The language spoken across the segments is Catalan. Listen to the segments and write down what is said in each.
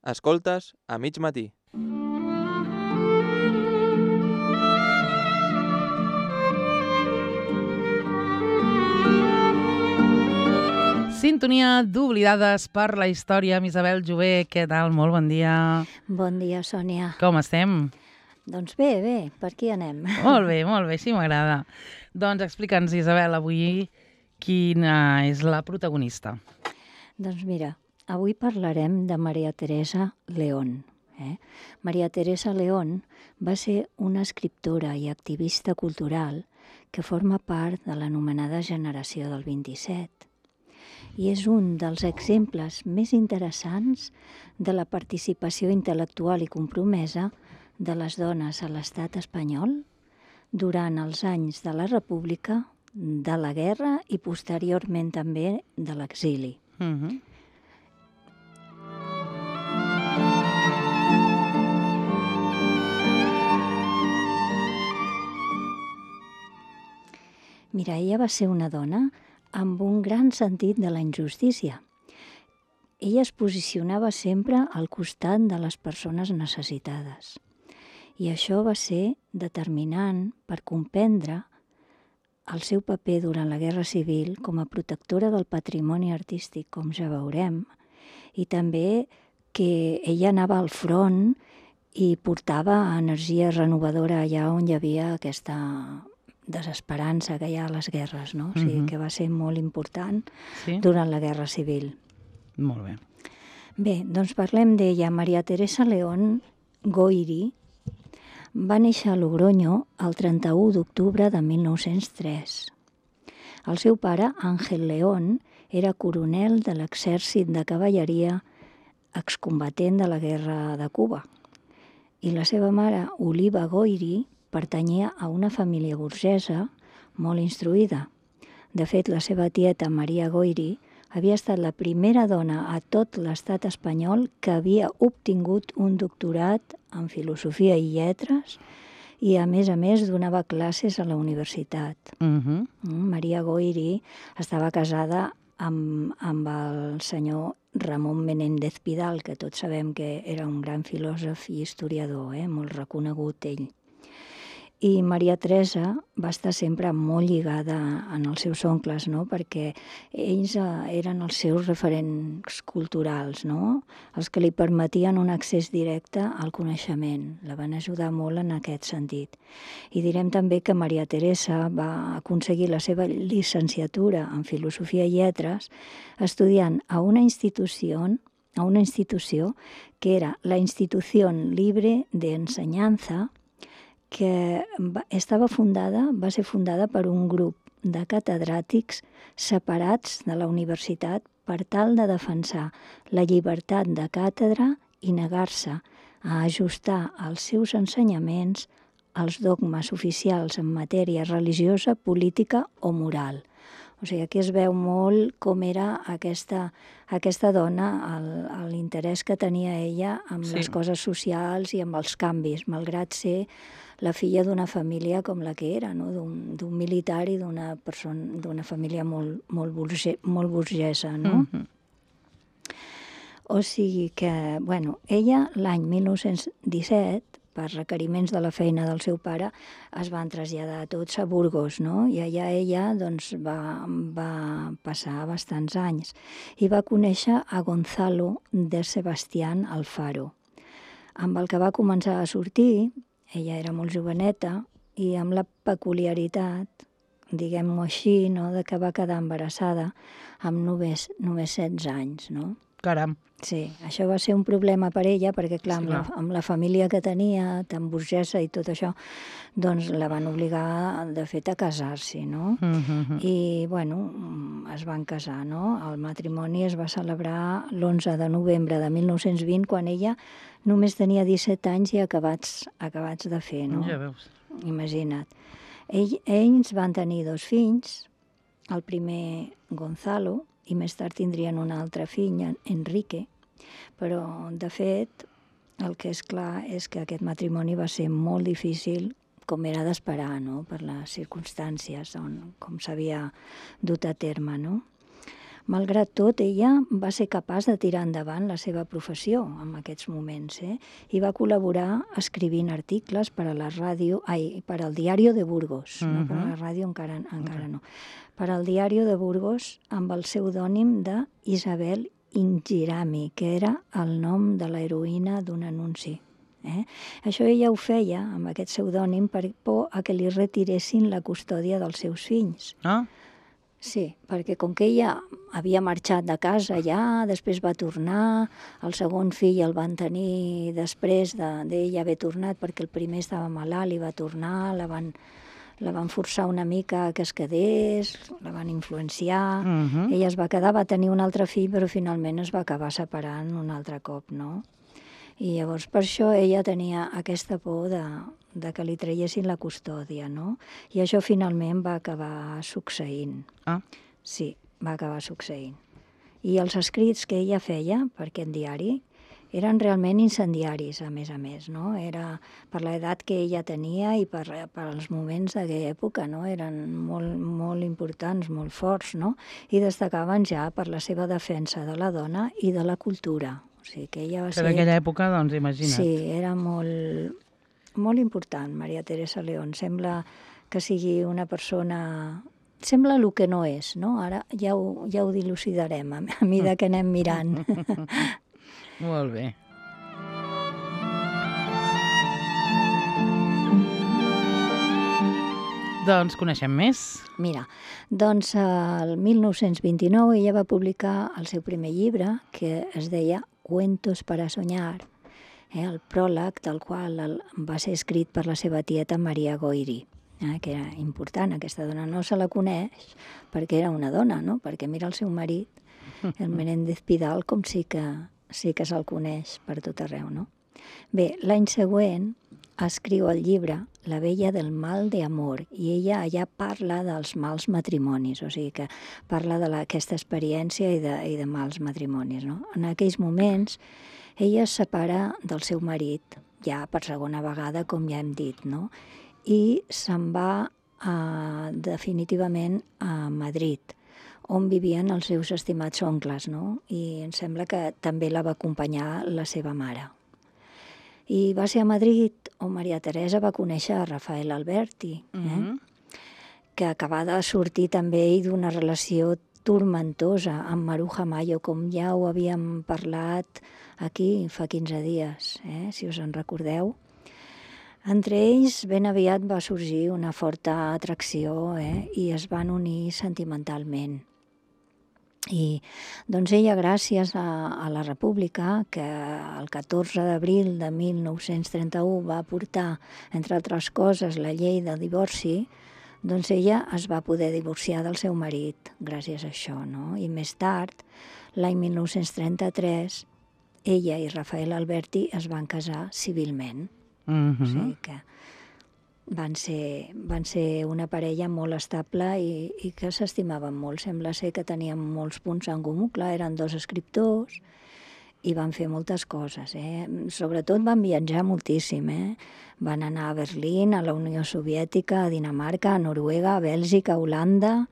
Escoltes a mig matí. Sintonia d'Oblidades per la història amb Isabel Jové. Què tal? Molt bon dia. Bon dia, Sònia. Com estem? Doncs bé, per aquí anem. Molt bé, així m'agrada. Doncs explica'ns, Isabel, avui quina és la protagonista. Doncs mira, avui parlarem de Maria Teresa León. Maria Teresa León va ser una escriptora i activista cultural que forma part de l'anomenada generació del 27. I és un dels exemples més interessants de la participació intel·lectual i compromesa de les dones a l'estat espanyol durant els anys de la República, de la guerra i posteriorment també de l'exili. Mira, ella va ser una dona amb un gran sentit de la injustícia. Ella es posicionava sempre al costat de les persones necessitades. I això va ser determinant per comprendre el seu paper durant la Guerra Civil com a protectora del patrimoni artístic, com ja veurem, i també que ella anava al front i portava energia renovadora allà on hi havia aquesta desesperança que hi ha a les guerres, no? O sigui, que va ser molt important durant la Guerra Civil. Molt bé. Bé, doncs parlem d'ella. Maria Teresa León Goiri va néixer a Logroño el 31 d'octubre de 1903. El seu pare, Ángel León, era coronel de l'exèrcit de cavalleria excombatent de la guerra de Cuba. I la seva mare, Oliva Goiri, pertanyia a una família burgesa molt instruïda. De fet, la seva tieta, Maria Goiri, havia estat la primera dona a tot l'estat espanyol que havia obtingut un doctorat en filosofia i lletres i, a més, donava classes a la universitat. Maria Goiri estava casada amb el senyor Ramon Menéndez Pidal, que tots sabem que era un gran filòsof i historiador, molt reconegut ell. I Maria Teresa va estar sempre molt lligada en els seus oncles, no? Perquè ells eren els seus referents culturals, no? Els que li permetien un accés directe al coneixement. La van ajudar molt en aquest sentit. I direm també que Maria Teresa va aconseguir la seva llicenciatura en Filosofia i Lletres estudiant a una institució que era la Institució Libre de Ensenyanza, que va ser fundada per un grup de catedràtics separats de la universitat per tal de defensar la llibertat de càtedra i negar-se a ajustar els seus ensenyaments als dogmes oficials en matèria religiosa, política o moral. O sigui, aquí es veu molt com era aquesta dona, l'interès que tenia ella amb les coses socials i amb els canvis, malgrat ser la filla d'una família com la que era, no? D'un militar i d'una família molt burgesa, no? O sigui que, ella l'any 1917, per requeriments de la feina del seu pare, es van traslladar tots a Burgos, no? I allà ella va passar bastants anys i va conèixer a Gonzalo de Sebastián Alfaro, amb el que va començar a sortir. Ella era molt joveneta i amb la peculiaritat, diguem-ho així, no? De que va quedar embarassada amb només 16 anys, no? Caram. Sí, això va ser un problema per ella, perquè, clar, amb la família que tenia, tan burgesa i tot això, doncs la van obligar, de fet, a casar-s'hi, no? I, es van casar, no? El matrimoni es va celebrar l'11 de novembre de 1920, quan ella només tenia 17 anys i acabats de fer, no? Ja veus. Imagina't. Ells van tenir 2 fills, el primer Gonzalo, i més tard tindrien un altre fill, Enrique, però, de fet, el que és clar és que aquest matrimoni va ser molt difícil, com era d'esperar, no?, per les circumstàncies com s'havia dut a terme, no? Malgrat tot, ella va ser capaç de tirar endavant la seva professió en aquests moments, i va col·laborar escrivint articles per a la ràdio, per al Diario de Burgos, no per a la ràdio encara no, per al Diario de Burgos amb el pseudònim de Isabel Ingirami, que era el nom de l'heroïna d'un anunci. Això ella ho feia amb aquest pseudònim per por a que li retiressin la custòdia dels seus fills. Ah, Sí, perquè com que ella havia marxat de casa ja, després va tornar, el segon fill el van tenir després d'ella haver tornat perquè el primer estava malalt i va tornar, la van forçar una mica que es quedés, la van influenciar, ella es va quedar, va tenir un altre fill, però finalment es va acabar separant un altre cop, no? I llavors per això ella tenia aquesta por de que li traiessin la custòdia, no? I això finalment va acabar succeint. Ah. Sí, va acabar succeint. I els escrits que ella feia per aquest diari eren realment incendiaris, a més, no? Era per l'edat que ella tenia i per als moments d'aquella època, no? Eren molt, molt importants, molt forts, no? I destacaven ja per la seva defensa de la dona i de la cultura. O sigui que ella va ser... Per aquella època, doncs, imagina't. Sí, era molt important, Maria Teresa León. Sembla que sigui una persona... Sembla el que no és, no? Ara ja ho dilucidarem a mesura que anem mirant. Molt bé. Doncs coneixem més. Mira, doncs el 1929 ella va publicar el seu primer llibre, que es deia Cuentos para soñar, el pròleg del qual va ser escrit per la seva tieta Maria Goiri, que era important. Aquesta dona no se la coneix perquè era una dona, no? Perquè mira el seu marit, el Menéndez Pidal, com sí que se'l coneix per tot arreu, no? Bé, l'any següent escriu el llibre La vella del mal de amor, i ella allà parla dels mals matrimonis, o sigui que parla d'aquesta experiència i de mals matrimonis, no? En aquells moments ella es separa del seu marit, ja per segona vegada, com ja hem dit, no? I se'n va definitivament a Madrid, on vivien els seus estimats oncles, no? I em sembla que també la va acompanyar la seva mare. I va ser a Madrid on Maria Teresa va conèixer a Rafael Alberti, que acabava de sortir també ell d'una relació turmentosa amb Maruja Mayo, com ja ho havíem parlat aquí fa 15 dies, si us en recordeu. Entre ells ben aviat va sorgir una forta atracció, i es van unir sentimentalment. I doncs ella, gràcies a la República, que el 14 d'abril de 1931 va portar, entre altres coses, la llei del divorci, doncs ella es va poder divorciar del seu marit gràcies a això, no? I més tard, l'any 1933, ella i Rafael Alberti es van casar civilment. O sigui que van ser una parella molt estable i que s'estimaven molt. Sembla ser que tenien molts punts en comú. Clar, eren dos escriptors i van fer moltes coses. Sobretot van viatjar moltíssim. Van anar a Berlín, a la Unió Soviètica, a Dinamarca, a Noruega, a Bèlgica, a Holanda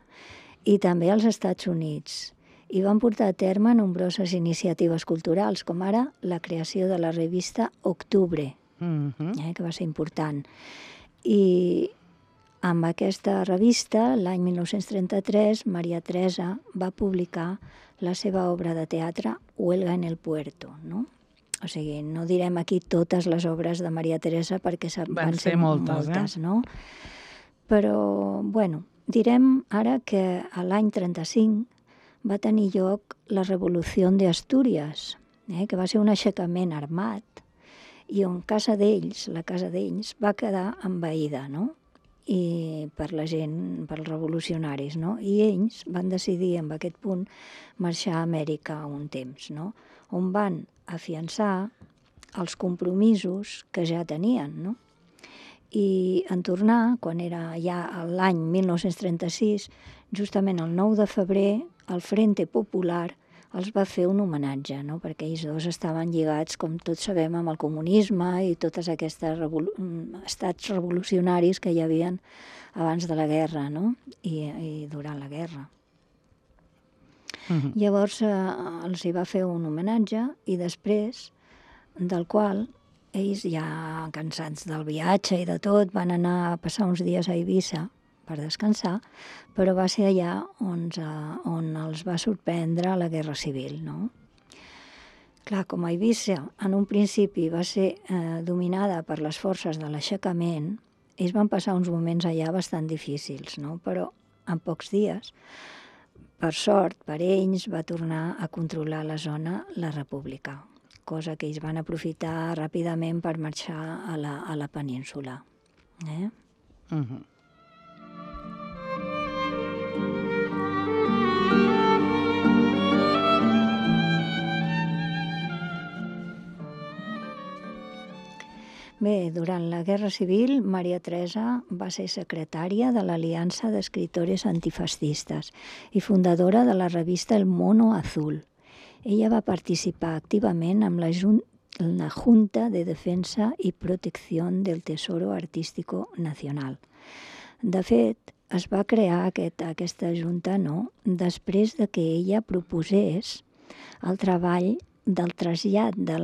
i també als Estats Units. I van portar a terme nombroses iniciatives culturals, com ara la creació de la revista Octubre, que va ser important. I amb aquesta revista, l'any 1933, Maria Teresa va publicar la seva obra de teatre Huelga en el Puerto, no? O sigui, no direm aquí totes les obres de Maria Teresa perquè van ser moltes, no? Però, bueno, direm ara que a l'any 35 va tenir lloc la Revolució d'Astúries, que va ser un aixecament armat, i on la casa d'ells, va quedar envaïda, no? I per la gent, pels revolucionaris, no? I ells van decidir, en aquest punt, marxar a Amèrica un temps, no? On van afiançar els compromisos que ja tenien, no? I en tornar, quan era ja l'any 1936, justament el 9 de febrer, el Frente Popular els va fer un homenatge, no? Perquè ells dos estaven lligats, com tots sabem, amb el comunisme i totes aquests estats revolucionaris que hi havia abans de la guerra, no? I durant la guerra. Llavors els hi va fer un homenatge i després del qual ells, ja cansats del viatge i de tot, van anar a passar uns dies a Eivissa per descansar, però va ser allà on els va sorprendre la Guerra Civil, no? Clar, com a Eivissa en un principi va ser dominada per les forces de l'aixecament, ells van passar uns moments allà bastant difícils, no? Però en pocs dies, per sort, per ells, va tornar a controlar la zona la República, cosa que ells van aprofitar ràpidament per marxar a la península. Bé, durant la Guerra Civil, Maria Teresa va ser secretària de l'Aliança d'Escritores Antifascistes i fundadora de la revista El Mono Azul. Ella va participar activament amb la Junta de Defensa i Protecció del Tesoro Artístico Nacional. De fet, es va crear aquesta junta després de que ella proposés el treball del trasllat de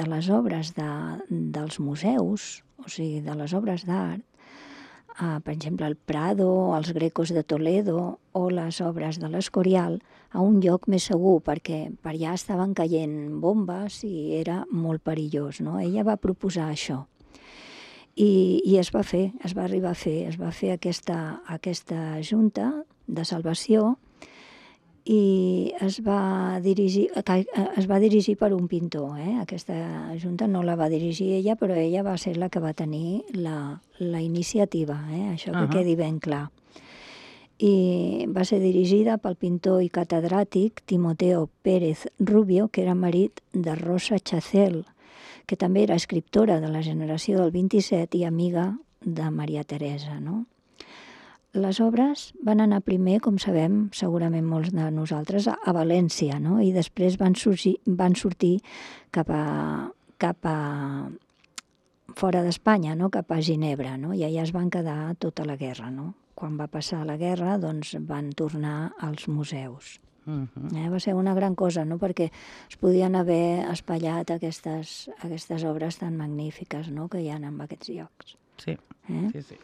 les obres dels museus, o sigui, de les obres d'art, per exemple, el Prado, els Grecos de Toledo o les obres de l'Escorial, a un lloc més segur, perquè per allà estaven caient bombes i era molt perillós, no? Ella va proposar això. I es va fer, es va arribar a fer, es va fer aquesta junta de salvació i es va dirigir per un pintor. Aquesta junta no la va dirigir ella, però ella va ser la que va tenir la iniciativa, això que quedi ben clar. I va ser dirigida pel pintor i catedràtic Timoteo Pérez Rubio, que era marit de Rosa Chacel, que també era escriptora de la generació del 27 i amiga de Maria Teresa, no? Les obres van anar primer, com sabem, segurament molts de nosaltres, a València, no? I després van sortir cap a fora d'Espanya, no? Cap a Ginebra, no? I allà es van quedar tota la guerra, no? Quan va passar la guerra, doncs van tornar als museus. Va ser una gran cosa, no? Perquè es podien haver espatllat aquestes obres tan magnífiques, no? Que hi ha en aquests llocs. Sí, sí.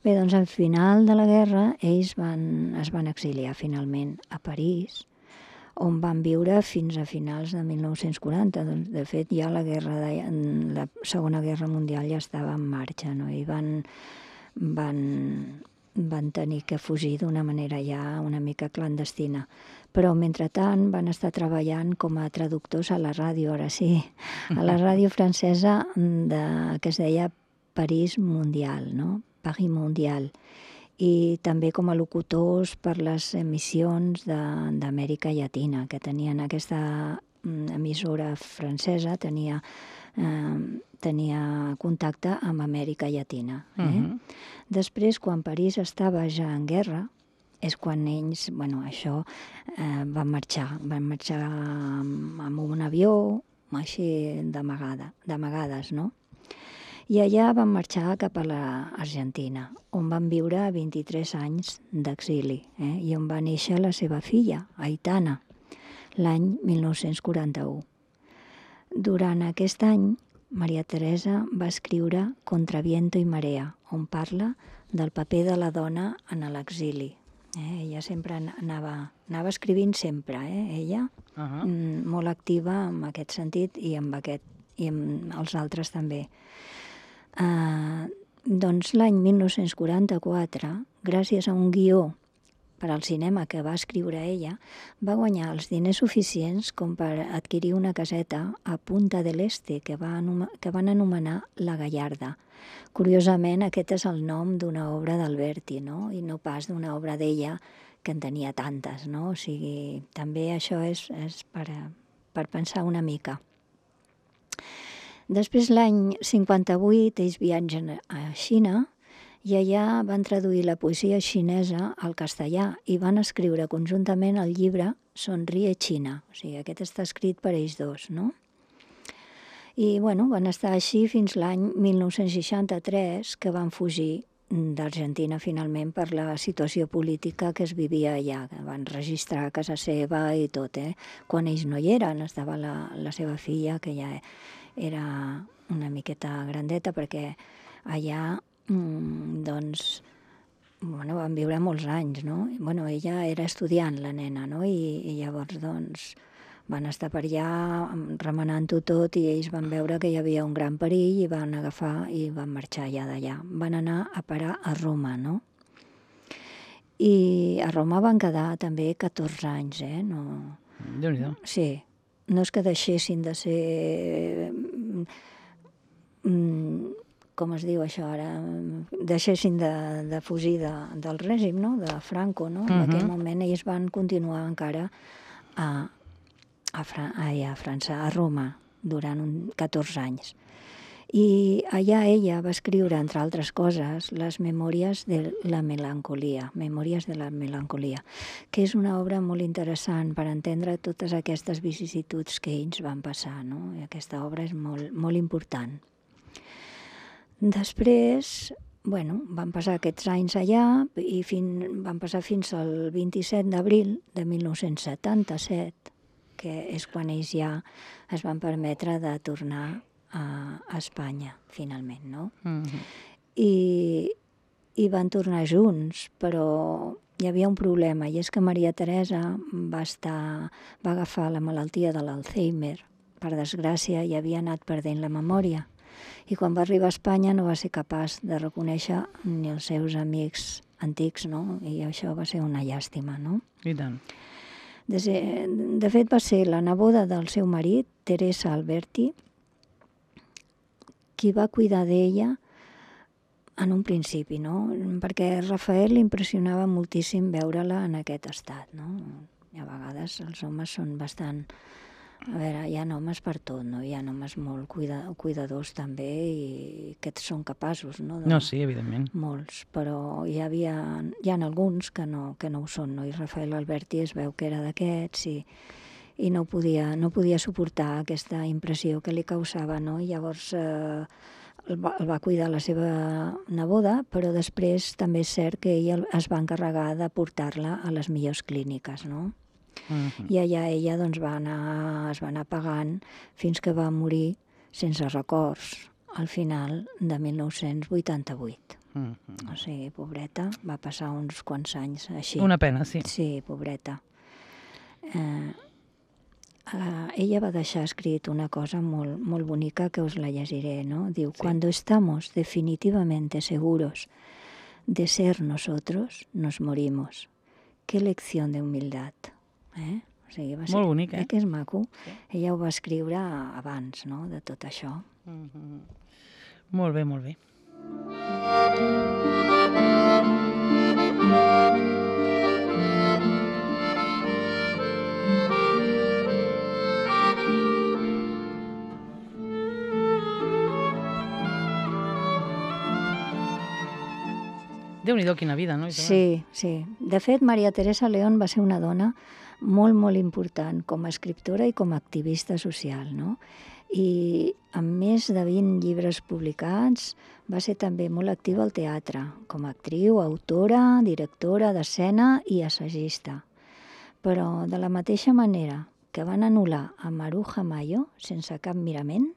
Bé, doncs al final de la guerra ells es van exiliar finalment a París, on van viure fins a finals de 1940. Doncs, de fet, ja la Segona Guerra Mundial ja estava en marxa, no? I van tenir que fugir d'una manera ja una mica clandestina. Però, mentrestant, van estar treballant com a traductors a la ràdio, ara sí, a la ràdio francesa que es deia París Mundial, no? Paris Mundial, i també com a locutors per les emissions d'Amèrica Llatina, que tenien aquesta emissora francesa, tenia contacte amb Amèrica Llatina. Després, quan París estava ja en guerra, és quan ells, van marxar amb un avió, així d'amagades, no? I allà van marxar cap a l'Argentina, on van viure 23 anys d'exili, i on va néixer la seva filla, Aitana, l'any 1941. Durant aquest any, Maria Teresa va escriure Contra viento y marea, on parla del paper de la dona en l'exili. Ella sempre anava escrivint sempre, ella, molt activa en aquest sentit i amb els altres també. Doncs l'any 1944, gràcies a un guió per al cinema que va escriure ella, va guanyar els diners suficients com per adquirir una caseta a Punta del Este que van anomenar La Gallarda. Curiosament, aquest és el nom d'una obra d'Alberti, no? I no pas d'una obra d'ella que en tenia tantes, no? O sigui, també això és per pensar una mica. Després, l'any 58, ells viatgen a Xina i allà van traduir la poesia xinesa al castellà i van escriure conjuntament el llibre Sonríe Xina. O sigui, aquest està escrit per ells dos, no? I, bueno, van estar així fins l'any 1963, que van fugir d'Argentina finalment per la situació política que es vivia allà, que van registrar a casa seva i tot, Quan ells no hi eren, estava la seva filla, que ja era una miqueta grandeta, perquè allà, doncs, bueno, van viure molts anys, no? Bueno, ella era estudiant, la nena, no? I llavors, doncs, van estar per allà remenant-ho tot i ells van veure que hi havia un gran perill i van agafar i van marxar ja d'allà. Van anar a parar a Roma, no? I a Roma van quedar també 14 anys, No... Déu-n'hi-do. Sí, no és que deixessin de ser... com es diu això ara? Deixessin de fugir del règim, no? De Franco, no? En aquell moment ells van continuar encara a França, a Roma, durant 14 anys. I allà ella va escriure, entre altres coses, les Memòries de la melancolia, que és una obra molt interessant per entendre totes aquestes vicissituds que ells van passar, no? I aquesta obra és molt, molt important. Després, bueno, van passar aquests anys allà i van passar fins al 27 d'abril de 1977, que és quan ells ja es van permetre de tornar a Espanya, finalment, no? I van tornar junts, però hi havia un problema, i és que Maria Teresa va agafar la malaltia de l'Alzheimer. Per desgràcia, ja havia anat perdent la memòria. I quan va arribar a Espanya no va ser capaç de reconèixer ni els seus amics antics, no? I això va ser una llàstima, no? I tant. De fet, va ser la neboda del seu marit, Teresa Alberti, qui va cuidar d'ella en un principi, no? Perquè Rafael li impressionava moltíssim veure-la en aquest estat, no? I a vegades els homes són bastant... A veure, hi ha homes per tot, no? Hi ha homes molt cuidadors també i que són capaços, no? No, sí, evidentment. Molts, però hi ha alguns que no ho són, no? I Rafael Alberti es veu que era d'aquests i no podia suportar aquesta impressió que li causava, no? I llavors el va cuidar la seva neboda, però després també és cert que ell es va encarregar de portar-la a les millors clíniques, no? I allà ella doncs, es va anar pagant fins que va morir sense records al final de 1988. O sigui, pobreta, va passar uns quants anys així. Una pena, sí. Sí, pobreta. Ella va deixar escrit una cosa molt, molt bonica que us la llegiré, no? Diu, sí. Cuando estamos definitivamente seguros de ser nosotros, nos morimos. Qué lección de humildad. O sigui, va ser, molt bonic, que és maco. Sí. Ella ho va escriure abans, no?, de tot això. Molt bé, molt bé. Déu-n'hi-do, quina vida, no? Sí, sí. De fet, Maria Teresa León va ser una dona molt, molt important com a escriptora i com a activista social, no? I amb més de 20 llibres publicats va ser també molt activa al teatre, com a actriu, autora, directora d'escena i assagista. Però de la mateixa manera que van anul·lar a Maruja Mayo sense cap mirament,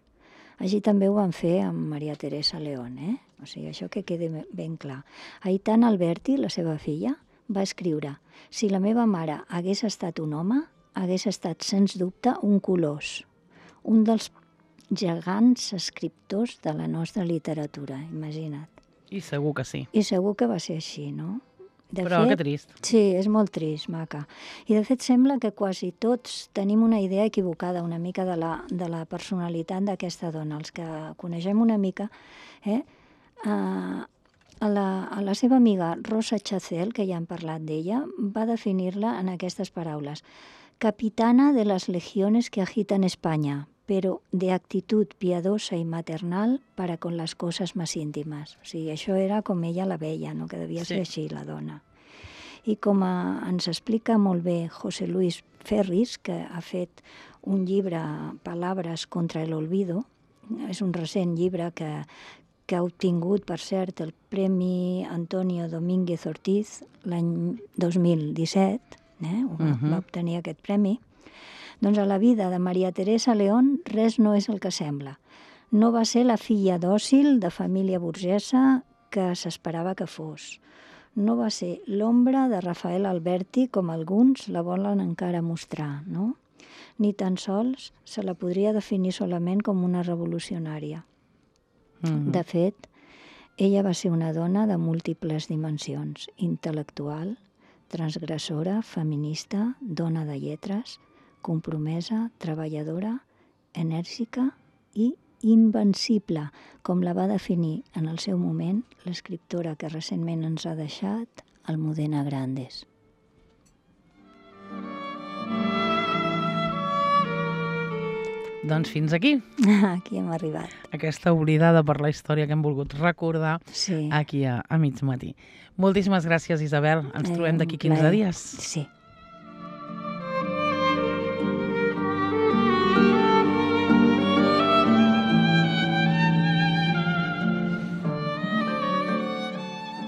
així també ho van fer amb Maria Teresa León, O sigui, això que quedi ben clar. Aitana Alberti, la seva filla, va escriure: si la meva mare hagués estat un home, hagués estat, sens dubte, un colós, un dels gegants escriptors de la nostra literatura, imagina't. I segur que sí. I segur que va ser així, no? Però que trist. Sí, és molt trist, maca. I de fet sembla que quasi tots tenim una idea equivocada una mica de la personalitat d'aquesta dona. Els que coneixem una mica, a la seva amiga Rosa Chacel, que ja hem parlat d'ella, va definir-la en aquestes paraules: capitana de las legiones que agitan España, pero de actitud piadosa y maternal para con las cosas más íntimes. O sigui, això era com ella la veia, no? Que devia ser així, la dona. I com ens explica molt bé José Luis Ferris, que ha fet un llibre, Palabras contra el olvido, és un recent llibre que ha obtingut, per cert, el Premi Antonio Domínguez Ortiz l'any 2017, va obtenir aquest premi. Doncs a la vida de Maria Teresa León res no és el que sembla. No va ser la filla dòcil de família burgesa que s'esperava que fos. No va ser l'ombra de Rafael Alberti, com alguns la volen encara mostrar, no? Ni tan sols se la podria definir solament com una revolucionària. De fet, ella va ser una dona de múltiples dimensions: intel·lectual, transgressora, feminista, dona de lletres, compromesa, treballadora, enèrgica i invencible, com la va definir en el seu moment l'escriptora que recentment ens ha deixat, Almudena Grandes. Doncs fins aquí. Aquí hem arribat. Aquesta oblidada per la història que hem volgut recordar aquí a mig matí. Moltíssimes gràcies, Isabel. Ens trobem d'aquí 15 dies. Sí.